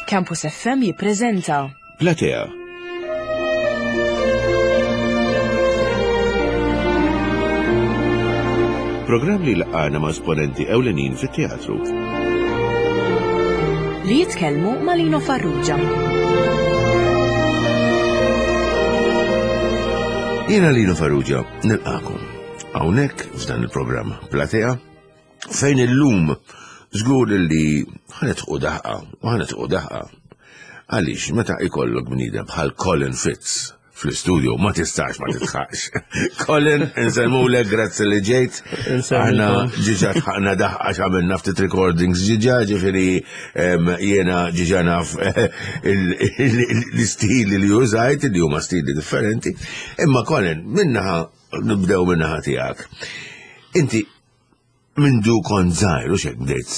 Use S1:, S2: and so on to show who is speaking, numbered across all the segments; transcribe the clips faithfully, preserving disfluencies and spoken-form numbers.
S1: Campus F M jippreżenta
S2: Platea. Programm li laqana ma' esponenti ewlenin fit-teatru.
S1: Li jitkellmu ma' Lino Farrugia.
S2: Jiena Lino Farrugia, nilqakom. Hawnhekk f'dan il-programm Platea, fejn illum żgur li ħa nidħku daħqa u ħa nidħku daħqa. Għaliex meta ikollok bniedem bħal Colin Fitz fl-studio ma tistax ma tidħaqx. Colin, insellmulek, grazzi li ġejt. Aħna diġà dħakna daħqa x'għamilna ftit recordings diġà, ġifieri jiena diġà naf l-istili li użajt, li huma stili differenti. Imma Colin, minnaħa, nibdew minnaħa tiegħek. Inti mindu kont żgħir u xek bdejt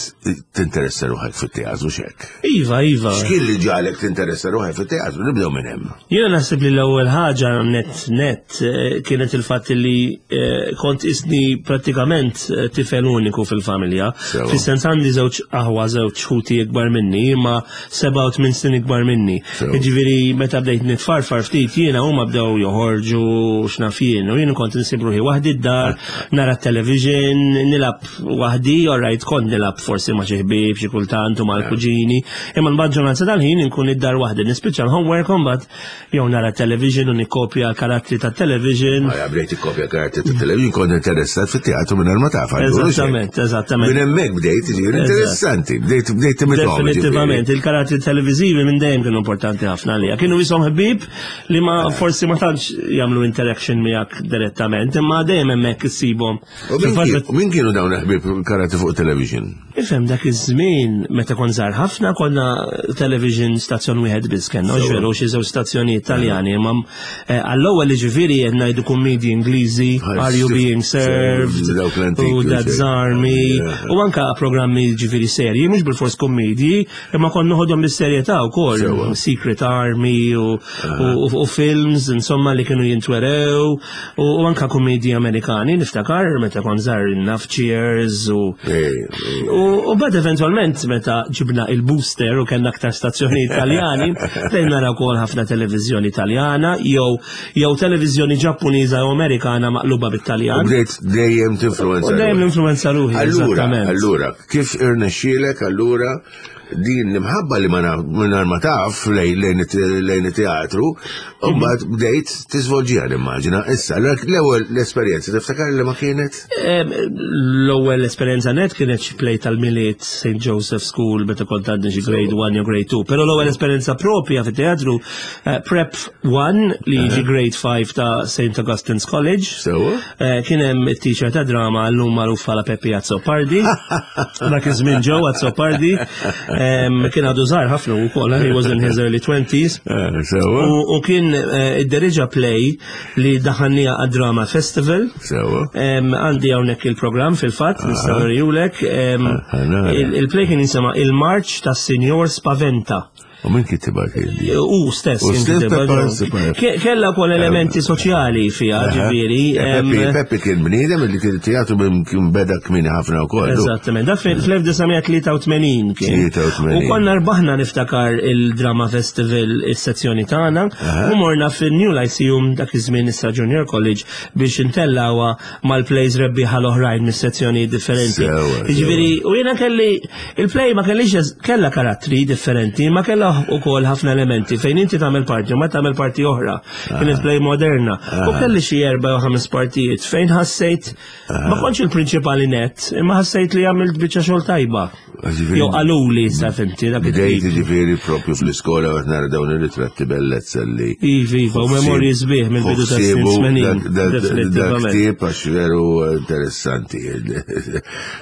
S2: tinteressa ruħek fit-teatru xek.
S3: Iva, iva.
S2: X'kien li ġagħlek tinteressa ruħek fit-teatru? Nibdew minn hemm.
S3: Jiena naħseb li l-ewwel ħaġa net net eh, kienet il-fatt li eh, kont isni prattikament eh, tifel uniku fil-familja.
S2: Sewa.
S3: Fis-sens għandi żewġ aħwa, żewġ ħuti ikbar minni, imma seba' u tmien snin ikbar minni.
S2: Sewa.
S3: Jiġifieri meta bdejt nitfarfar ftit jiena huma bdew joħorġu x'naf jien u jien kont insib ruħi waħdi d-dar, nara t-television, nilgħab waħdi, alright, kont nilgħab forsi ma' xi ħbieb xi kultant u mal-kuġini, imma l-maġġoranza tal-ħin inkun id-dar waħdi, nispiċċa l-homework u mbagħad jew nara television u nikkopja l-karattri tat-television.
S2: Għaja, bdejt ikkopja karattri tat-television, kont interessat fit-teatru minn ma taf. Allura, xek.
S3: Eżattament, eżattament.
S2: Minn hemmhekk bdejt, ġifieri interessanti, bdejt bdejt timitahom.
S3: Definitivament, il-karattri televizivi minn dejjem kienu importanti ħafna għalija. Kienu jisom ħbib li ma forsi ma tantx jagħmlu interaction miegħek direttament, imma dejjem hemmhekk issibhom.
S2: U min kien- u min kienu dawn ħbieb karattri fuq television?
S3: Ifhem, dak iż-żmien meta kont żgħar ħafna konna television stazzjon wieħed biss kellna,
S2: Sewa.
S3: ġveru xi żewġ stazzjonijiet Taljani, imma eh, għall-ewwel ġifieri qed ngħidu kummedji Ingliżi,
S2: Bħal
S3: Are You
S2: Sif-
S3: Being Served,
S2: dawk l-antiki
S3: u
S2: u
S3: Dad's
S2: xejn.
S3: Army,
S2: Yeah.
S3: u anka programmi ġifieri serji, mhux bil-fors kummedji, imma konna noħodhom bis-serjetà wkoll,
S2: Sewa.
S3: Secret Army u, u, u, u films, insomma, li kienu jintwerew, u, u anka kummedji Amerikani, niftakar meta kont żgħar naf Cheers u
S2: Ej, ej.
S3: U, u bad eventualment meta ġibna il-booster u kellna aktar stazzjoni Italjani, bdejna naraw ukoll ħafna televiżjoni Italjana jew jew televiżjoni Ġappuniża u Amerikana maqluba
S2: U
S3: bit-Taljan.
S2: bdejt dejjem tinfluenza.
S3: U dejjem l-influenza ruħi,
S2: Allura,
S3: eżattament.
S2: allura, kif irnexxielek allura din l-imħabba li ma naf- mingħajr ma taf lejn lejn it- lejn it-teatru, u mbagħad bdejt tiżvolġiha nimmaġina. Issa, l-ewwel l-esperjenza tiftakar li ma kienet?
S3: Em, L-ewwel esperjenza net kienet xi play tal-Milied Saint Joseph School meta kont għadni xi grade one jew grade two. Però l-ewwel esperjenza propja fit-teatru eh, Prep one li jiġi grade five ta' Saint Augustine's College.
S2: Sewa?
S3: Eh, Kien hemm it-teacher ta' drama llum magħruf bħala Peppi Azzopardi. Dak iż-żmien Joe Azzopardi. Em, Kien għadu żgħar ħafna wkoll, he was in his early twenties.
S2: Eh, Sewa?
S3: U, u kien eh, idderieġa play li daħannija għad-Drama Festival.
S2: Sewa?
S3: Em, Għandi hawnhekk il-programm fil-fatt, nista' nurihulek. Em,
S2: Ah, nara.
S3: il- Il-play kien jinsema Il-Marċ tas-Sinjor Spaventa.
S2: U min kitibha kien?
S3: U stess
S2: U
S3: kien
S2: stess
S3: kitibha,
S2: Peppa
S3: ġo.
S2: Azzopardi.
S3: Ke- Kella wkoll elementi soċjali fiha, ġifieri. em,
S2: Peppi, Peppi kien bniedem li kien teatru minn kien beda kmieni ħafna wkoll.
S3: Eżattament, da fl-elf disa' mija tlieta u tmenin kien.
S2: tlieta u tmenin.
S3: U konna rbaħna niftakar il-Drama Festival is-sezzjoni tagħna u morna fil-New Lyceum, dak iż-żmien issa Junior College, biex intellawha mal-plays rebbieħa l-oħrajn mis-sezzjoni differenti.
S2: Sewa,
S3: Jiġifieri, u jiena kelli il-play ma kellix eż- kella karattri differenti, ma kella ukoll ħafna elementi fejn inti tagħmel parti u ma tagħmel parti oħra. Kienet play moderna. U kelli xi erba' jew ħames partijiet fejn ħassejt ma kontx il-prinċipali net, imma ħassejt li għamilt biċċa xogħol tajba.
S2: Ġifieri-
S3: Jew qaluli sa fimti dak
S2: Bdejt
S3: it-tip.
S2: ġifieri propju fl-iskola għat nara dawn ir-ritratti bellezza li.
S3: Iva, iva, u memorji sbieħ mill-bidu ta' snin tmenin.
S2: Dak
S3: Definitivament.
S2: ktieb għax veru interessanti.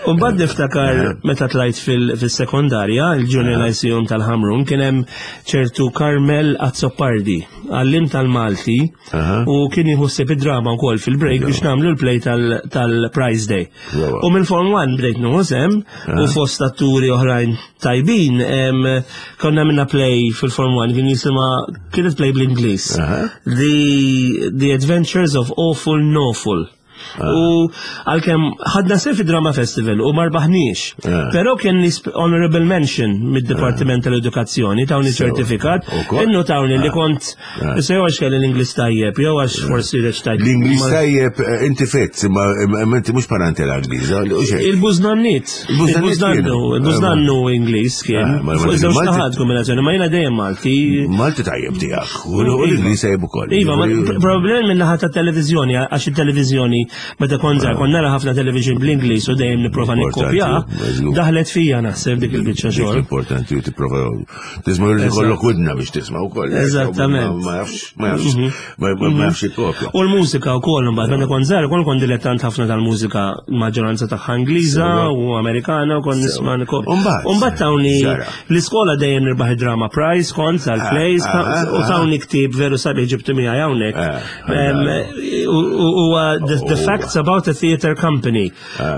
S3: U mbagħad niftakar meta tlajt fil- fil-sekondarja, il-Junior Lyceum tal-Ħamrun, kien hemm ċertu Carmel Azzopardi, għallim tal-Malti,
S2: Aha.
S3: u kien jħossib id-drama wkoll fil-break biex nagħmlu l-play tal- tal-Prize Day.
S2: Sewa.
S3: U minn Form one bdejt nieħu sehem u fost atturi oħrajn tajbin, em, konna minna play fil-Form one kien jisimha, kienet play bl-Ingliż.
S2: Aha.
S3: The, The Adventures of Awful Nawful. U għalkemm ħadna sehem fi Drama Festival u ma rbaħniex.
S2: Ah.
S3: Però kien honorable mention mid-Dipartiment tal-Edukazzjoni, tawni
S2: Sewa.
S3: ċertifikat,
S2: Ukoll?
S3: innu tawni li kont, issa jew għax kelli l-Ingliż tajjeb, jew għax forsi reċtajt.
S2: L-Ingliż
S3: Ma-
S2: tajjeb, eh, inti fit, imma imma inti mhux parentela Ingliża, u xejn.
S3: Il-buznannit.
S2: Il-buznannit
S3: Il-buznannu,
S2: kienu.
S3: il-buznannu Ingliż kien.
S2: Ah, ma- ma-
S3: Fuq żewġ
S2: Malti-
S3: naħat kombinazzjoni, ma jiena dejjem Malti.
S2: Malti tajjeb tiegħek, u l-Ingliż tajjeb ukoll.
S3: Iva, ma problem minn naħa ta' televizjoni, għax il-televizjoni, meta kont żgħar, kont nara ħafna television bl-Ingliż u dejjem nipprova
S2: Importanti,
S3: nikkopja,
S2: żgur.
S3: daħlet fija naħseb dik il-biċċa
S2: Dik
S3: xogħol.
S2: Importanti u tipprova tisma' li kollok widna biex tisma' wkoll.
S3: Eżattament.
S2: Ma jafx, ma jafx, ma ma jafx ikkopja.
S3: U l-mużika u koll, mbagħad meta kont żgħar, kont kont dilettant ħafna tal-mużika maġġoranza tagħha Ingliża
S2: Sewa.
S3: u Amerikana u kont nisma' nikop.
S2: U mbagħad?
S3: U mbagħad tawni
S2: Ġara.
S3: l-iskola dejjem nirbaħ id-drama prize kont tal-plays
S2: Ah, ah,
S3: u tawni ktieb veru sabiħ ġibtu miegħi hawnhekk.
S2: Ah,
S3: Em, u- u- Huwa the the
S2: Oh.
S3: facts about a theater company.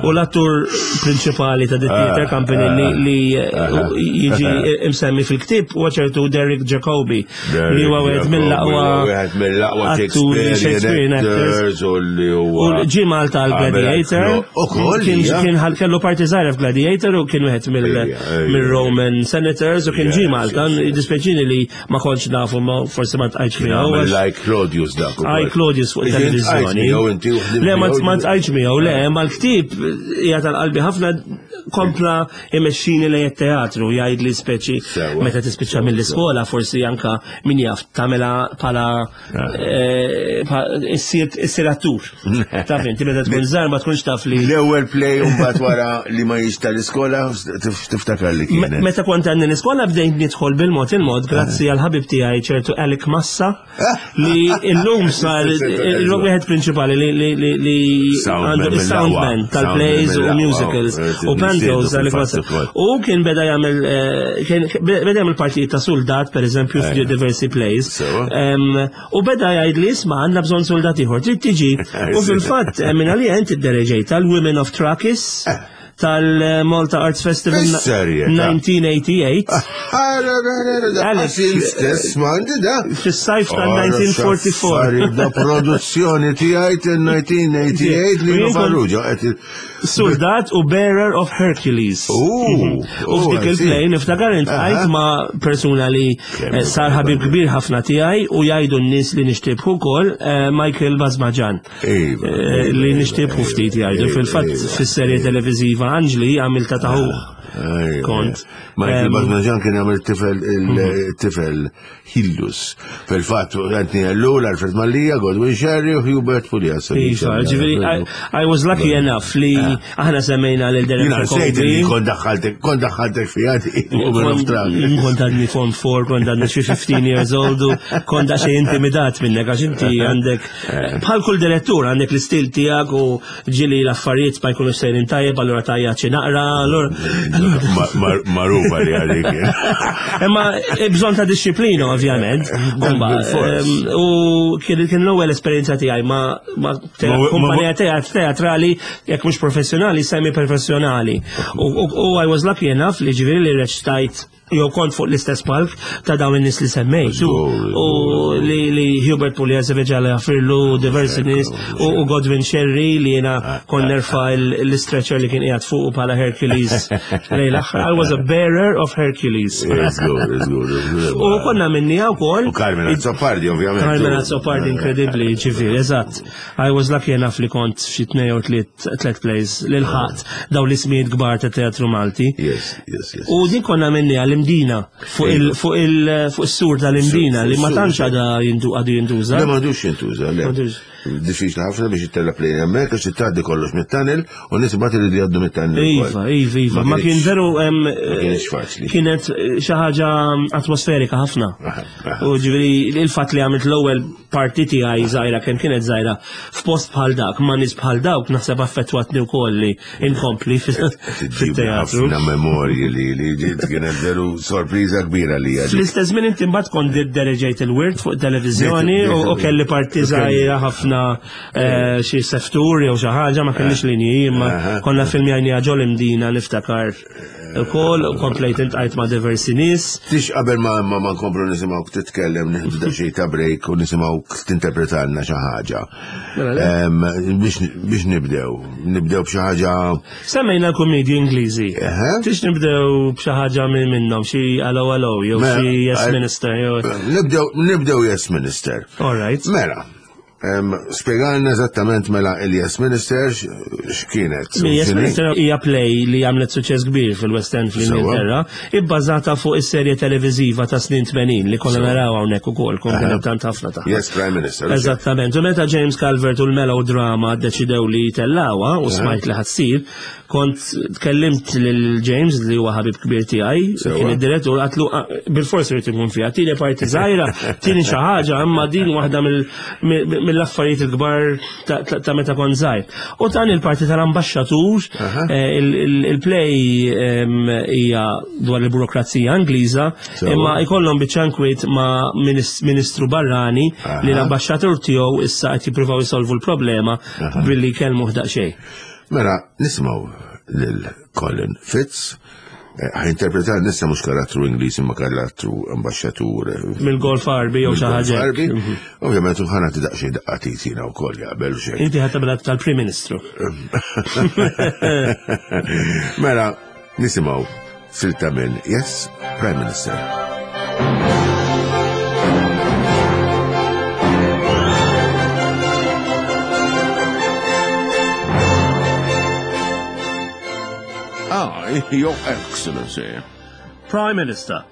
S3: U l-attur prinċipali ta' the theater company li li jiġi imsemmi fil-ktieb huwa ċertu Derek Jacobi li huwa wieħed mill-aqwa
S2: Wieħed mill-aqwa
S3: atturi
S2: Shakespearean
S3: Shakespearean actors.
S2: actors u li
S3: U
S2: huwa.
S3: ġie Malta għal Gladiator.
S2: Ukoll,
S3: Kien
S2: hija.
S3: kien ħal- kellu parti żgħira f'Gladiator u kien wieħed mill-
S2: Ejja, ejja.
S3: mill-Roman Senators u kien
S2: Yes,
S3: ġie Malta.
S2: yes, yes.
S3: Dispjaċini li ma kontx nafu ma forsi ma tqajtx miegħu.
S2: Għamel
S3: għax-
S2: like Claudius dak. ukoll.
S3: Għaj Claudius fuq
S2: Inti
S3: televizjoni.
S2: tqajt miegħu inti u ħdimt
S3: Le, ma
S2: miegħu.
S3: ma tqajtx miegħu, le, ma l-ktieb hija tal-qalbi ħafna kompla imexxini lejn it-teatru, jgħid li speċi
S2: Sewa.
S3: meta tispiċċa mill-iskola forsi anka min jaf tagħmilha bħala eh, pa- issir issir attur. Taf inti meta tkun żgħar ma tkunx taf li
S2: L-ewwel play u mbagħad wara li ma jiex tal-iskola tif- tiftakar li
S3: Me-
S2: kienet.
S3: Meta kont għandni l-iskola bdejt nidħol bil-mod il-mod grazzi għal ħabib tiegħi ċertu Alec Massa li illum sar il-lum wieħed prinċipali li li li li
S2: Soundman
S3: għandu
S2: mill-aqwa.
S3: il-soundman tal-plays
S2: Soundman
S3: u
S2: mill-aqwa.
S3: musicals
S2: Eh,
S3: u pantos
S2: nistiednu
S3: Alec Massa.
S2: fil-fatt ukoll.
S3: U kien beda jagħmel eh, kien beda jagħmel partijiet ta' soldat pereżempju f'diversi plays.
S2: Sewa.
S3: Em, U beda jgħid li isma' għandna bżonn soldat ieħor, trid tiġi. U fil-fatt eh, minn għalija inti ddereġejt tal-Women of Trakis tal-Malta Arts Festival
S2: Bis-serjetà.
S3: nineteen eighty-eight
S2: Alex, stess ma għandi da.
S3: Fis-sajf tal-elf disa' mija u erbgħa u erbgħin.
S2: Da produzzjoni tiegħi tal-elf disa' mija u tmienja u disgħin li
S3: U jien kont-
S2: Farrugia. qed-
S3: Soldat u Bearer of Hercules.
S2: U,
S3: U f'dik il-play niftakar intqajt
S2: Aha.
S3: ma' persuna li
S2: Kemm
S3: eh, sar ħabib kbir ħafna tiegħi u jgħidu n-nies li nixtibħu wkoll, eh, Michael Bazmaġan.
S2: Iva,
S3: Eh,
S2: iva,
S3: Li
S2: iva,
S3: nixtibħu
S2: iva,
S3: ftit jgħidu.
S2: iva,
S3: Fil-fatt
S2: iva,
S3: fis-serje televiżiva Anġli għamilta taħuh.
S2: Ejja,
S3: Kont.
S2: Michael
S3: Em,
S2: Bazmaġan kien jagħmel tifel il-tifel Hillus. Fil-fatt Anthony Ellul, Alfred Mallia, Godwin Sherry u Hubert Puglia.
S3: Iva, ġifieri, I, I was lucky enough li aħna semmejna lil Derek
S2: Jiena nsejt li
S3: Jacobi.
S2: kont daħħaltek, kont daħħaltek fija Women of Travis.
S3: Kont għadni form four, kont għadni xi fifteen years old u kont daqsxejn intimidat minnek għax inti għandek bħal kull direttur għandek l-istil tiegħek u ġieli l-affarijiet ma jkunux sejrin tajjeb, allura tajja xi naqra, allura
S2: Ma- ma- Magħrufa li għalik.
S3: Imma eh, bżonn ta' disċiplina ovvjament.
S2: Dan
S3: Umba,
S2: bil-fors.
S3: em, U kien kien l-ewwel esperjenza tiegħi ma ma te-
S2: Ma- ma-
S3: kumpanija teat- teatrali jekk mhux professjonali, semi professjonali. U u- u I was lucky enough li ġifieri li reċtajt jew kont fuq l-istess palk ta' dawn in-nies li semmejt. U
S2: Żgur,
S3: u li li Hubert Pugliese veġa firlu diversi nies u u Godwin Sherry li jiena kont nerfa l- l-stretcher li kien qiegħed fuq bħala Hercules lejn l-aħħar. I was a bearer of Hercules.
S2: Żgur, żgur.
S3: U konna minni wkoll.
S2: U Carmen Azzopardi, ovvjament.
S3: Carmen Azzopardi inkredibbli, ġifieri, eżatt. I was lucky enough li kont f'xi tnejn jew tliet tliet plays li lħaqt daw l-ismijiet kbar ta' teatru Malti.
S2: Yes, yes, yes.
S3: U din konna minni għall-Imdina, fuq il- fuq il- fuq is-sur tal-Imdina li ma tantx għadha jindu għadu jintuża.
S2: Le m'għadux jintuża, le.
S3: M'għadux.
S2: Diffiċli ħafna biex ittella plane hemmhekk għax tgħaddi kollox mit-tunnel u nies imbagħad iridu jgħaddu mit-tunnel.
S3: Iva, iva, iva. Ma kien veru em,
S2: kienx faċli.
S3: Kienet eh, xi ħaġa atmosferika ħafna.
S2: Aha, aha.
S3: U ġifieri il-fatt li għamilt l-ewwel parti tiegħi żgħira kemm kienet żgħira f'post bħal dak, ma' nies bħal dawk naħseb affettwatni wkoll li inkompli fit-teatru.
S2: Ħafna memorji li li ġiet kienet veru sorpriża kbira li għadi.
S3: Fl-istess żmien inti mbagħad kont dereġejt il-wirt fuq televiżjoni u u kelli parti żgħira ħafna tlifna eh, xi seftur jew xi ħaġa, ma kellix linji, imma konna filmjajni ġol Imdina niftakar ukoll u komplejt iltqajt ma' diversi nies.
S2: Tix qabel ma ma ma nkomplu nisimgħuk titkellem, nieħdu daqsxejn ta' break u nisimgħuk tinterpretalna xi ħaġa.
S3: Mela le.
S2: Em, Biex biex nibdew, nibdew b'xi ħaġa.
S3: Semmejna l-kummedji Ingliżi.
S2: Eħe.
S3: Tix nibdew b'xi ħaġa minn minnhom, xi Allo Allo jew
S2: Mela,
S3: xi Yes
S2: eh,
S3: Minister jew.
S2: Nibdew nibdew Yes Minister.
S3: All right.
S2: Mela, em, spjegalna eżattament mela il-Yes Minister x- x'kienet.
S3: Yes
S2: X'inhi?
S3: Minister hija play li għamlet suċċess kbir fil-West End fl-Ingilterra, ibbażata fuq is-serje televiżiva ta' snin tmenin li konna naraw hawnhekk ukoll, kont
S2: Aha.
S3: tant ħafna tagħha.
S2: Yes Prime Minister.
S3: Eżattament. U meta James Calvert u l-melodrama ddeċidew li tellawha u smajt li ħa ssir, kont tkellimt lil James li huwa ħabib kbir tiegħi,
S2: Sewwa.
S3: kien id-direttur, għedtlu "Ah, bil-forsi rrid ikun fiha, tieni parti żgħira, tieni xi ħaġa, imma din waħda mill- mill- mill-affarijiet il-kbar ta- ta ta' meta kont żgħir." U tani l-parti tal-ambaxxatur,
S2: Aha.
S3: eh, il- il- il-play em, hija dwar il-burokrazija Ingliża,
S2: Sewwa.
S3: imma ikollhom biċċa nkwiet ma' minis- ministru barrani li
S2: Aha.
S3: l-ambaxxatur tiegħu issa qed jippruvaw jisolvu l-problema billi kellmuh daqsxejn.
S2: Mela, nisimgħu lil Colin Fitz, eh, ħa jinterpreta nissa mhux karattru Ingliż imma karattru ambaxxatur eh,
S3: Mill-Golf Għarbi jew xi ħaġa.
S2: Għarbi. Ovvjament u ħa nagħti daqsxejn daqqa t'id jiena wkoll jaqbel xejn.
S3: Inti ħa tagħmilha tal-Prim Ministru.
S2: Mela, nisimgħu silta minn Yes Prime Minister. Ah, Your Excellency.
S3: Prime Minister,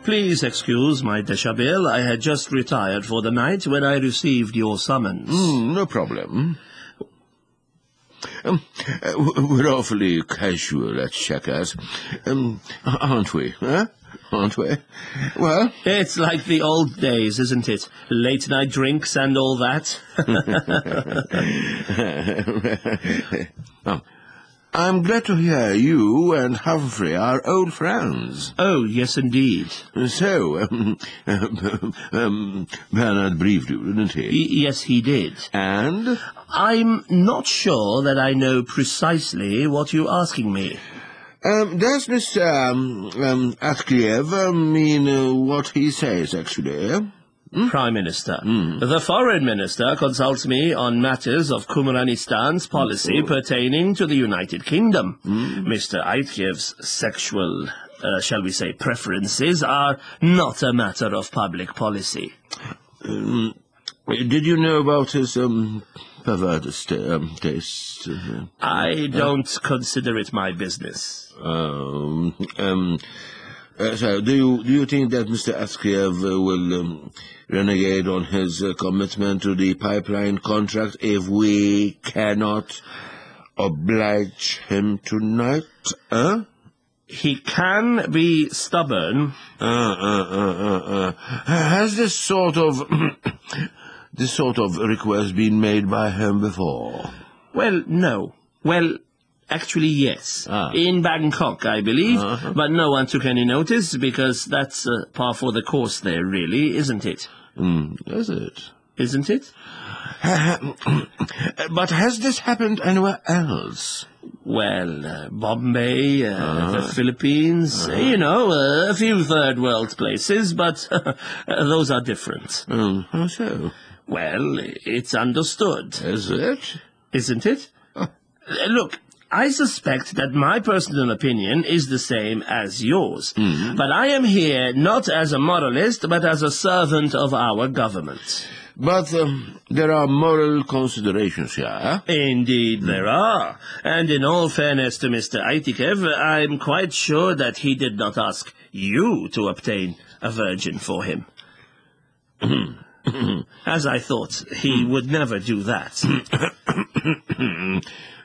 S3: please excuse my deshabille. I had just retired for the night when I received your summons.
S2: Mm, no problem. Um, uh, we're awfully casual at Chequers, um, aren't we? Huh? Aren't we? Well,
S3: It's like the old days, isn't it? Late night drinks and all that.
S2: oh, I'm glad to hear you and Humphrey are old friends.
S3: Oh, yes, indeed.
S2: So, um, um, Bernard briefed you, didn't he?
S3: Y- yes, he did.
S2: And?
S3: I'm not sure that I know precisely what you're asking me.
S2: Um, does Mister Um, um, Atkiev uh, mean uh, what he says, actually?
S3: Prime Minister. The Foreign Minister consults me on matters of Kumranistan's policy pertaining to the United Kingdom. Mister Aitkiev's sexual, uh, shall we say, preferences are not a matter of public policy.
S2: Um, did you know about his um, perverted sta- um, tastes? Uh,
S3: I don't consider it my business.
S2: Um, um, uh, so, do you do you think that Mister Atkiev uh, will um, renegade on his uh, commitment to the pipeline contract if we cannot oblige him tonight? Huh?
S3: He can be stubborn.
S2: Uh, uh, uh, uh, uh. Has this sort of this sort of request been made by him before?
S3: Well, no. Well, actually, yes.
S2: Ah.
S3: In Bangkok, I believe. But no one took any notice because that's uh, par for the course there, really, isn't it?
S2: Mm, is it?
S3: Isn't it?
S2: But has this happened anywhere else?
S3: Well, uh, Bombay, uh, the Philippines, you know, uh, a few third world places, but those are different.
S2: Mm, how so?
S3: Well, it's understood.
S2: Is it?
S3: Isn't it? Uh, Look, I suspect that my personal opinion is the same as yours. But I am here not as a moralist, but as a servant of our government.
S2: But um, there are moral considerations here. Eh?
S3: Indeed there are. And in all fairness to Mister Aitikev, I'm quite sure that he did not ask you to obtain a virgin for him. As I thought, he would never do that.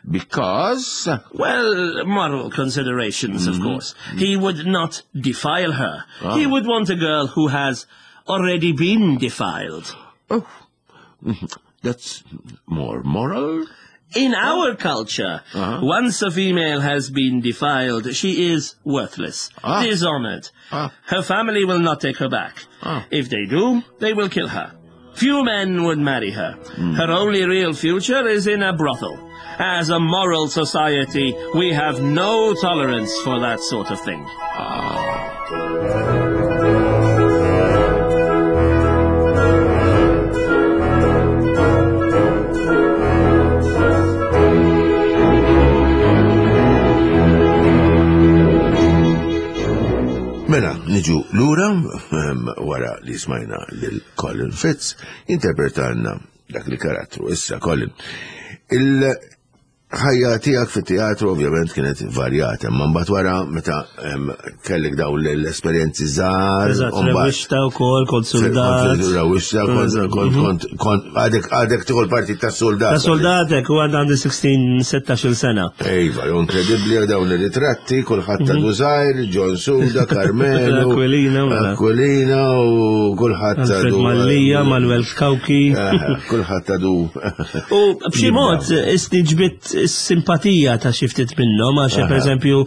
S2: Because?
S3: Well, moral considerations, of course. He would not defile her. He would want a girl who has already been defiled.
S2: Oh, that's more moral?
S3: In our culture, once a female has been defiled, she is worthless,
S2: Ah.
S3: dishonored.
S2: Ah.
S3: Her family will not take her back.
S2: Ah.
S3: If they do, they will kill her. Few men would marry her. Her only real future is in a brothel. As a moral society, we have no tolerance for that sort of thing.
S2: Mela, niġu lura ehm, wara li smajna lil Colin Fitz interpretanna dak il-karattru. Issa Colin, il-ħajja tiegħek fit-teatru ovvjament kienet varjata, imma mbagħad wara meta ehm, kellek dawn l-esperjenzi żgħar,
S3: Eżatt,
S2: u mbagħad-
S3: rewwixta wkoll, kont soldat.
S2: Rewwixta, kont kont kont kont għadek għadek tieħu l-partit tas-soldat.
S3: Ta' soldatek u għand għandi sittax-il sena.
S2: Ejva, inkredibbli dawn ir-ritratti, kulħadd ta' Dużajr, John Suda, Carmelo,
S3: Aquilina, mela.
S2: Aquilina u kulħadd ta'
S3: Alfred
S2: du-
S3: Mallia, Manuel Cauchi.
S2: Eh, Kulħadd ta' du.
S3: U b'xi mod isni ġbit simpatija ta' xi ftit minnhom għax pereżempju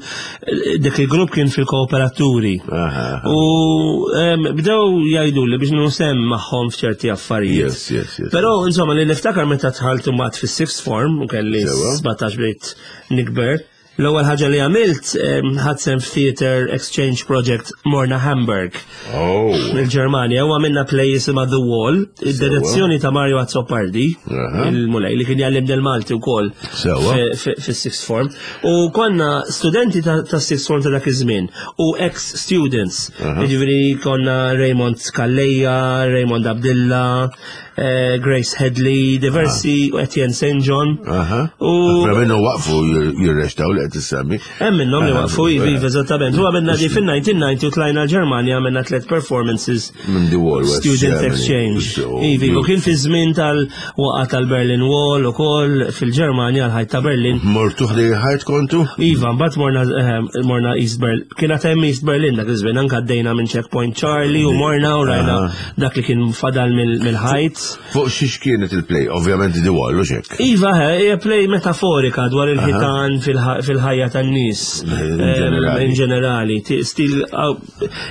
S3: dik il-grupp kien fil-kooperaturi.
S2: Aha.
S3: U em, bdew jgħidu li biex nusem magħhom f'ċerti affarijiet.
S2: Yes, yes, yes.
S3: Però insomma li niftakar meta dħalt imbagħad fis-sixth form u kelli
S2: Sewa.
S3: sbatax bdejt nikber. L-ewwel ħaġa li għamilt em, ħadt sehem f'Theater Exchange Project morna Hamburg
S2: Oh.
S3: il-Ġermanja u għamilna play jisimha The Wall, id-direzzjoni ta' Mario Azzopardi,
S2: Aha.
S3: il-mulej li kien jgħallimni l-Malti wkoll
S2: Sewa.
S3: fis-sixth form. U konna studenti ta' ta' sixth form ta' dak iż-żmien u ex-students. Jiġifieri konna Raymond Calleja, Raymond Abdilla, eh, Grace Headley, diversi u Etienne Saint John.
S2: Aha.
S3: U
S2: Ħafna minnhom waqfu jirrextaw li qed tissemmi.
S3: Hemm minnhom li waqfu ivi, ivi, eżattament. U għamilna di fin-nineteen ninety u tlajna l-Ġermanja għamilna tliet performances.
S2: Minn The Wall West
S3: Student
S2: Germany.
S3: Exchange.
S2: So,
S3: Ivi, u kien fi żmien tal-waqa tal-Berlin Wall u koll fil-Ġermanja l-ħajt ta' Berlin.
S2: Mortu ħdej ħajt kontu?
S3: Iva, mbagħad morna, eh, morna East Berlin. Kien għad hemm East Berlin dak iż-żmien, anke għaddejna minn Checkpoint Charlie u morna u rajna dak li kien fadal mill- mill-ħajt.
S2: Fuq xiex kienet il-play? Ovvjament The Wall, u xek.
S3: Iva, eh, hija play metaforika dwar il-ħitan fil-ħ- fil-ħajja tan-nies.
S2: In
S3: Em,
S2: ġenerali.
S3: In ġenerali. Ti- Stil, aw,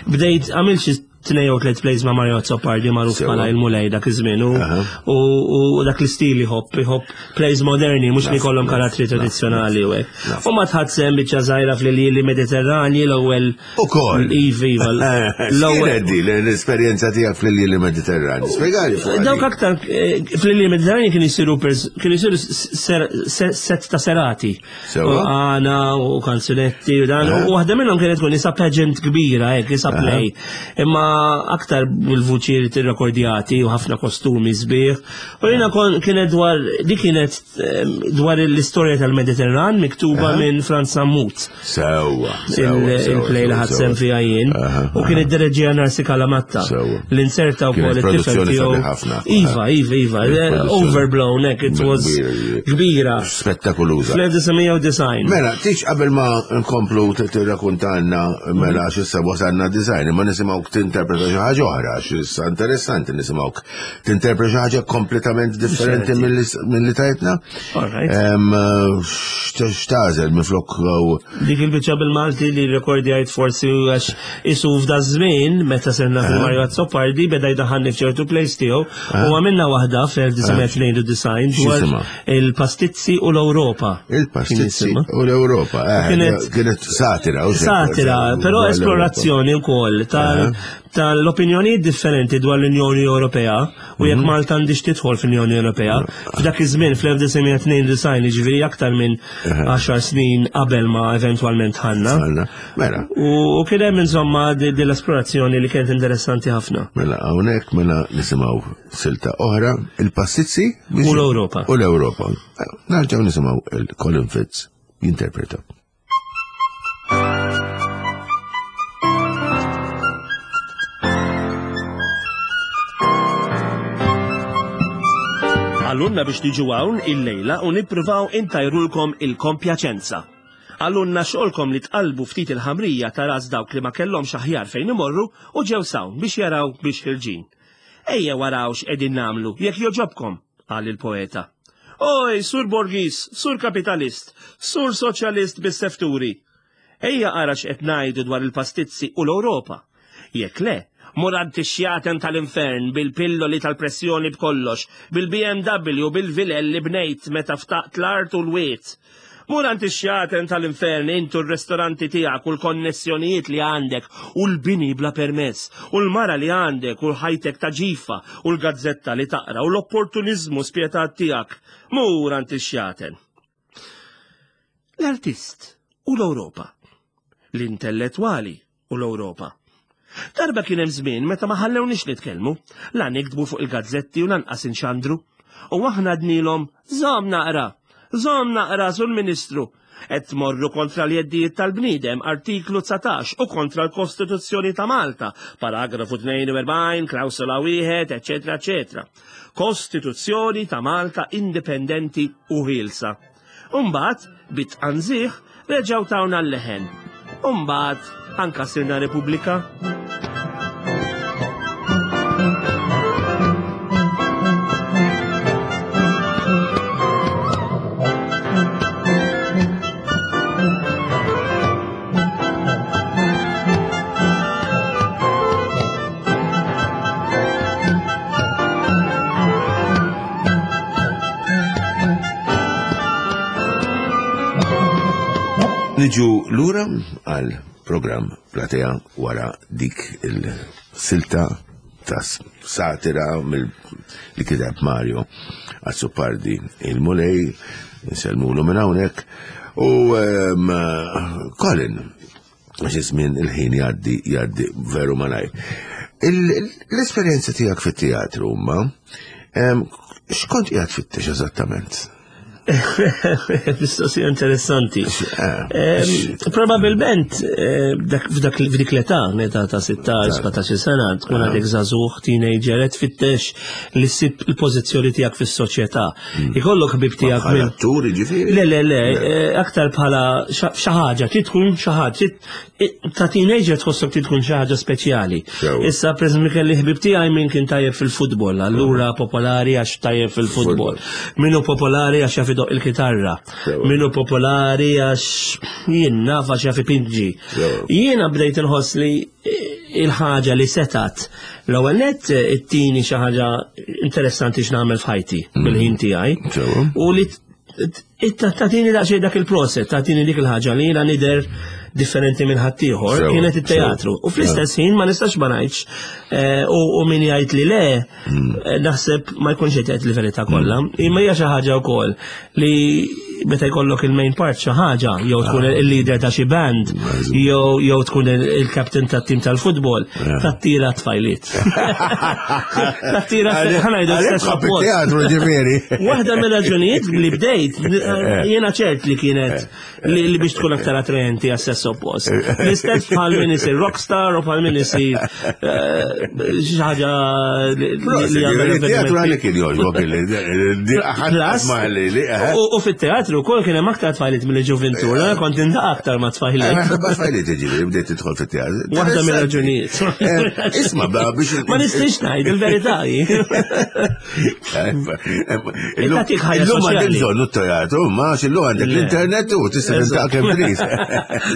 S3: bdejt, għamilt xi tnejn jew tliet plays ma' Mario Azzopardi magħruf
S2: Sewa.
S3: bħala il-mulej dak iż-żmien u-
S2: Aha.
S3: u u dak l-istil iħobb, iħobb plays moderni mhux li jkollhom karattri tradizzjonali u hekk.
S2: Naf.
S3: U ma tħadd biċċa żgħira fl-iljieli Mediterranji l-ewwel
S2: Ukoll.
S3: Iva, iva. L-ewwel
S2: X'kienet di l-esperjenza tiegħek fl-iljieli Mediterranji? Spjegali fuq.
S3: Dawk aktar eh, fl-iljieli Mediterranji kienu jsiru pers- kienu jsiru ser- ser- set ta' serati.
S2: Sewa.
S3: U għana u kanzunetti u dan. U waħda minnhom kienet tkun isa pageant kbira, hekk isa play. Imma aktar bil-vuċi tirrekordjati u ħafna kostumi sbieħ. U jiena kon kienet dwar di kienet eh, dwar l-istorja tal-Mediterran miktuba minn Franz Sammut.
S2: Sewa. sewa,
S3: Il-
S2: sewa,
S3: Il-play li
S2: sewa,
S3: ħadd sem
S2: sewa.
S3: fiha jien.
S2: Aha,
S3: U kien id-direġija Narsi Kalamatta.
S2: Sewa.
S3: L-inserta
S2: Kienet
S3: wkoll it-tifel
S2: produzzjoni
S3: tiegħu.
S2: sabiħ ħafna.
S3: Iva, iva, iva.
S2: Kienet produzzjoni.
S3: Overblown, hekk, it was
S2: Kbira.
S3: kbira.
S2: Spettakoluża.
S3: Fl-elf disa' mija u disgħin.
S2: Mela, tix qabel ma nkomplu tirrakuntanna mela għax issa wasalna design, imma nisimgħuk tinterpreta xi ħaġa oħra, għax issa interessanti nisimgħuk tinterpreta xi ħaġa kompletament differenti milli milli tajtna.
S3: All right.
S2: Em, x'ta- X'tagħżel minflok u-
S3: Dik il-biċċa bil-Malti li rekordjajt forsi għax isu f'da żmien meta serna fil-Mario Azzopardi beda jdaħħalni f'ċertu plays tiegħu u għamilna waħda fl-elf disa' mija tnejn u disgħin dwar
S2: X'jisimha?
S3: il-pastizzi u l-Ewropa. Kien
S2: il-pastizzi
S3: jisimha.
S2: u l-Ewropa. Eh,
S3: Kienet-
S2: Kienet satira. u xejn.
S3: Satira, però
S2: Dwar l-Ewropa.
S3: esplorazzjoni wkoll tal- tal-opinjonijiet differenti dwar l-Unjoni Ewropea u jekk Malta għandix tidħol fl-Unjoni Ewropea. F'dak iż-żmien fl-elf disa' mija tnejn u disgħin, jiġifieri aktar minn għaxar snin qabel ma eventwalment ħanna.
S2: Għalna. Mela,
S3: U u kien hemm insomma di di l-esplorazzjoni li kienet interessanti ħafna.
S2: mela hawnhekk mela nisimgħu silta oħra, il-pastizzi
S3: U l-Ewropa.
S2: U l-Ewropa. Nerġgħu nisimgħu il-Colin Fitz jinterpreta.
S3: Għallunna biex tiġu hawn il-lejla u nippruvaw intajrulkom il-kompjaċenza. Għallunna xogħolkom li tqalbu ftit il-ħamrija ta' ras dawk li ma kellhomx aħjar fejn imorru u ġew sawn biex jaraw biex ħirġin. Ejja waraw x'qegħdin nagħmlu jekk joġobkom, qal il-poeta. Oj, sur Borgis, sur kapitalist, sur soċjalist bis-sefturi. Ejja ara x'qed ngħidu dwar il-pastizzi u l-Ewropa. Jekk le, Mur għand ix-xjaten tal-infern bil-pilloli tal-pressjoni b'kollox, bil-B M W, bil-vilel li bnejt meta ftaqt l-art u l-wiet. Mur għand ix-xjaten tal-infern intu, r-restoranti tiegħek u l-konnessjonijiet li għandek u l-bini bla permess u l-mara li għandek u l-ħajtek ta' ġifa u l-gazzetta li taqra u l-opportunizmu spjetat tiegħek. Mur għand ix-xjaten. L-artist u l-Ewropa. L-intellettwali u l-Ewropa. Darba kien hemm żmien meta ma ħallewniex nitkellmu, la niktbu fuq il-gazzetti u lanqas inxandru. U aħna għednielhom, "Żomm naqra, żomm naqra, sur Ministru. Qed tmorru kontra l-jeddijiet tal-bniedem, artiklu dsatax, u kontra l-Kostituzzjoni ta' Malta, paragrafu tnejn u erbgħin, klawsola wieħed, eċetera, eċetera. Kostituzzjoni ta' Malta indipendenti u ħielsa." Umbagħad, bit-tqanżih, reġgħu tawna l-leħen. Umbagħad, anka sirna Repubblika.
S2: Niġu lura għal program Platea wara dik il-silta ta' satira mill li kiteb Mario Azzopardi il-Mulej, nsellmulu minn hawnhekk. U um, Colin, għax iż-żmien, il-ħin jgħaddi jgħaddi veru malajr. L-esperjenza tiegħek fit-teatru ma x'kont qiegħed tfittex eżattament?
S3: Mistoqsija interessanti. Probabilment eh, f'dak f'dik l-età, meta ta' sittax, sbatax sena, tkun għadek żagħżugħ, teenager, qed tfittex li ssib il-pożizzjoni tiegħek fis-soċjetà. Ikollok ħbib tiegħek
S2: minn. Attur, ġifieri?
S3: Le, le, le, eh, aktar bħala xi ħaġa, trid tkun xi ħaġa, ta' teenager tħossok trid tkun xi ħaġa speċjali. Issa, per kelli ħbib tiegħi min kien tajjeb fil-futbol, allura popolari għax tajjeb fil-futbol. Min hu popolari għax jaf idoqq il-kitarra. Min hu popolari għax jien naf għax jaf ipinġi. Jiena bdejt inħoss li il-ħaġa li setat l-ewwel nett ittini xi ħaġa interessanti x'nagħmel f'ħajti bil-ħin tiegħi. U li tagħtini daqsxejn dak il-proset, tagħtini dik il-ħaġa li jiena nidher differenti minn ħaddieħor, kienet it-teatru. U fl-istess ħin ma nistax ma ngħidx eh, u min jgħid li le, hmm. eh, naħseb ma jkunx qed jgħid il-verità kollha. Hmm. Imma hija xi ħaġa wkoll li meta jkollok il-main part xi ħaġa, jew tkun ah. il-leader ta' xi band, jew jew tkun il-captain tat-tim tal-futbol, tattira tfajliet. Tattira, ħa ngħidu,
S2: stess teatru ġifieri.
S3: Waħda mill-raġunijiet li bdejt, jiena ċert li kienet li biex tkun aktar attraenti għas-sess oppost. L-istess bħal min isir rockstar u bħal min isir eh, xi ħaġa
S2: li Teatru għalik kien jogħġbok.
S3: U fit-teatru wkoll kien hemm aktar tfajliet mill-ġuventur, kont indaq aktar ma' tfajliet.
S2: Ma' tfajliet, ġifieri bdejt tidħol fit-teatru.
S3: Waħda mill-raġunijiet.
S2: Eh, isma'
S3: biex. Ma nistax ngħid il-verità.
S2: Illum għandek bżonn teatru, ma illum għandek l-internet u tista' tintaq kemm trid.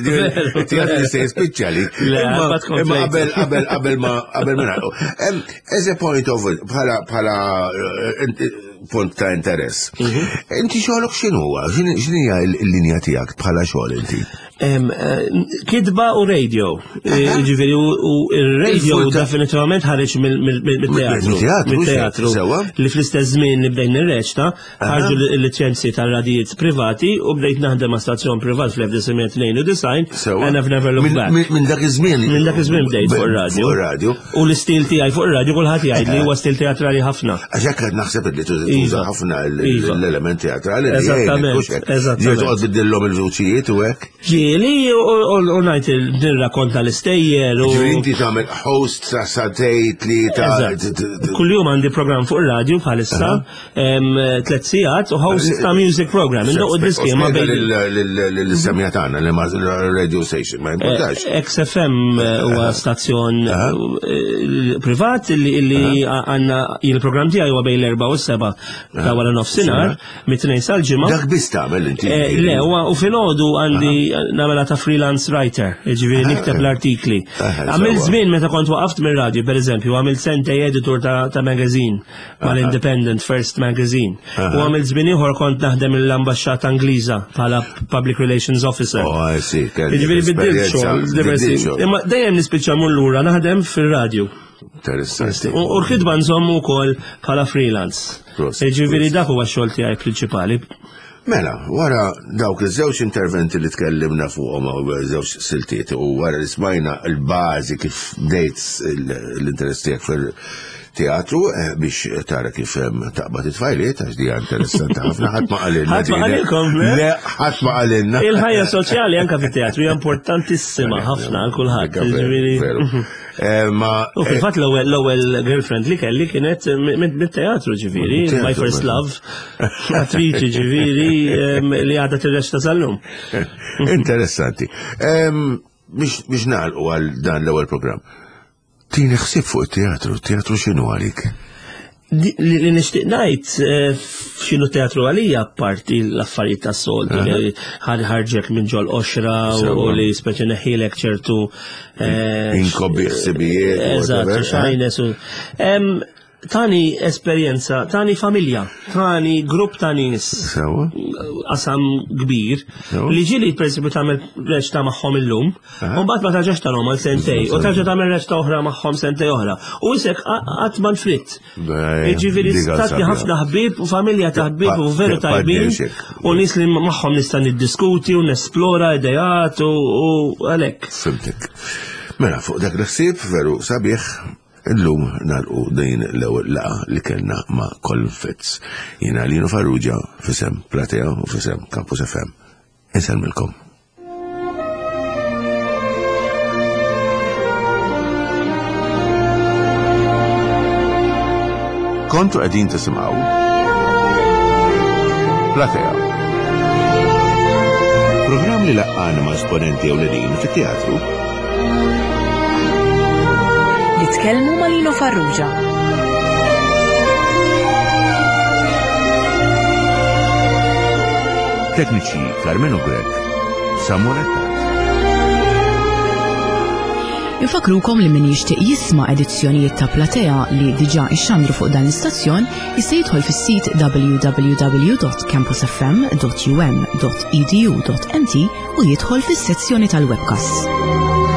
S2: Il-teatru jista' jispiċċa li. Imma qabel qabel qabel ma qabel ma nagħlqu. As a point of bħala bħala eh, punt ta' interess. Mhm. Inti xogħolok x'inhuwa? X'inhija l-linja tiegħek bħala xogħol inti?
S3: Eh, kitba u radio. Eh, ġifieri u il-radio definitivament ħareġ mill-teatru.
S2: Mill-teatru.
S3: Li fl-istess żmien li bdejn nirreċta, ħarġu l-liċenzji tal-radijiet privati u bdejt naħdem ma' stazzjon privat fl-elf disa' mija tnejn u disgħin and I've never looked back.
S2: Minn dak iż-żmien.
S3: Minn dak iż-żmien bdejt fuq ir-radio.
S2: Radio.
S3: U l-istil tiegħi fuq ir-radio kulħadd jgħid li huwa stil teatrali ħafna.
S2: Għax hekk qed naħseb li tuża ħafna l-element teatrali.
S3: Eżattament.
S2: Eżattament. Toqgħod tbiddillhom il-vuċijiet u hekk.
S3: Ġieli u ngħid nirrakkonta l-istejjer.
S2: Ġifieri inti tagħmel host sa sagħtejn, tlieta.
S3: Kuljum għandi program fuq ir-radio bħalissa, tliet sigħat u host ta' music program. Indoqqu diski
S2: ma bejn. L-semja tagħna li ma radio station, ma importax.
S3: X F M huwa stazzjon eh, privat li għandna il-program tiegħi huwa bejn l-erba' u s-seba' ta' wara nofsinhar, mit-tnejn sal-ġimgħa.
S2: Dak biss tagħmel inti.
S3: Eh, Le, u u filgħodu għandi nagħmela ta' freelance writer, jiġifieri nikteb l-artikli.
S2: Aha,
S3: Għamilt
S2: sewwa.
S3: żmien meta kont waqaft mir-radju, pereżempju, għamilt sentej editur ta' ta' magazine mal-Independent First Magazine. U għamilt żmien ieħor kont naħdem l-ambaxxata Ingliża bħala Public Relations Officer.
S2: Oh, I see. kelli
S3: Jiġifieri biddilt
S2: esperjenza,
S3: xogħol diversi.
S2: biddilt xogħol.
S3: Imma dejjem nispiċċa mmur lura naħdem fir-radju.
S2: Interessanti.
S3: U u l-ħidma nżommu wkoll bħala freelance.
S2: Prosit,
S3: Jiġifieri
S2: prosit.
S3: dak huwa x-xogħol tiegħi prinċipali.
S2: Mela, wara dawk iż-żewġ interventi li tkellimna fuqhom u żewġ siltiet u wara li smajna l-bażi kif bdejt l-interess tiegħek fil-teatru eh, biex tara kif em, taqbad it-tfajliet għax dija interessanti ħafna ħadd ma qalilna.
S3: Ħadd ma
S2: din.
S3: qalilkom, le?
S2: Le, ħadd ma qalilna.
S3: Il-ħajja soċjali anka fit-teatru hija importantissima ħafna għal kulħadd.
S2: Veru,
S3: Jiġifieri-
S2: veru. Eh, Ma
S3: U fil-fatt l-ewwel l-ewwel girlfriend li kelli kienet mit-teatru ġifieri,
S2: Mit-teatru,
S3: my first
S2: mela.
S3: love, attriċi ġifieri em, li għadha tirreċta sal-lum.
S2: Interessanti. Em, Biex biex nagħlqu għal dan l-ewwel programm. Tini ħsieb fuq it-teatru, teatru x'inhu għalik?
S3: Di- Li li nixtieq ngħid eh, x'inhu teatru għalija apparti l-affarijiet tas-soltu li ħar- ħarġek minn ġol qoxra u
S2: Sewwa.
S3: li speċi neħilek ċertu eh,
S2: Inkobbi ħsibijiet,
S3: Eżatt,
S2: whatever, eh?
S3: xajnes u Em, Tani esperjenza, tani familja, tani grupp ta' nies
S2: Sewwa?
S3: qasam kbir
S2: Sewwa.
S3: li ġieli per esempio tagħmel reċta magħhom illum, u mbagħad ma tarġax tarhom għal sentej, u tarġa' tagħmel reċta oħra magħhom sentej oħra. U isek qatt ma nfritt.
S2: Bej,
S3: Jiġifieri
S2: diga
S3: tatni
S2: sabiħa.
S3: ħafna ħbieb u familja ta' ħbieb u veru
S2: Pa-
S3: tajbin
S2: partnership.
S3: u nies li magħhom nista' niddiskuti u nesplora idejat u u għalhekk.
S2: Fimtek. Mela, fuq dak l-ħsieb veru sabiħ, illum nagħlqu din l-ewwel laqgħa li kellna ma' Colin Fitz. Jiena Lino Farrugia f'isem Platea u f'isem Campus F M. Insellmilkom. Kontu qegħdin tisimgħu Platea. Programm li laqqana ma' esponenti ewlenin fit-teatru.
S1: Jitkellmu ma' Lino Farrugia.
S2: Tekniċi Carmelo Grek, Samuel Attard.
S4: Infakrukom li min jixtieq jisma' edizzjonijiet ta' Platea li diġà ixxandru fuq dan l-istazzjon jista' jidħol fis-sit w w w dot campusfm dot u m dot e d u dot m t u jidħol fis-sezzjoni tal-webcast.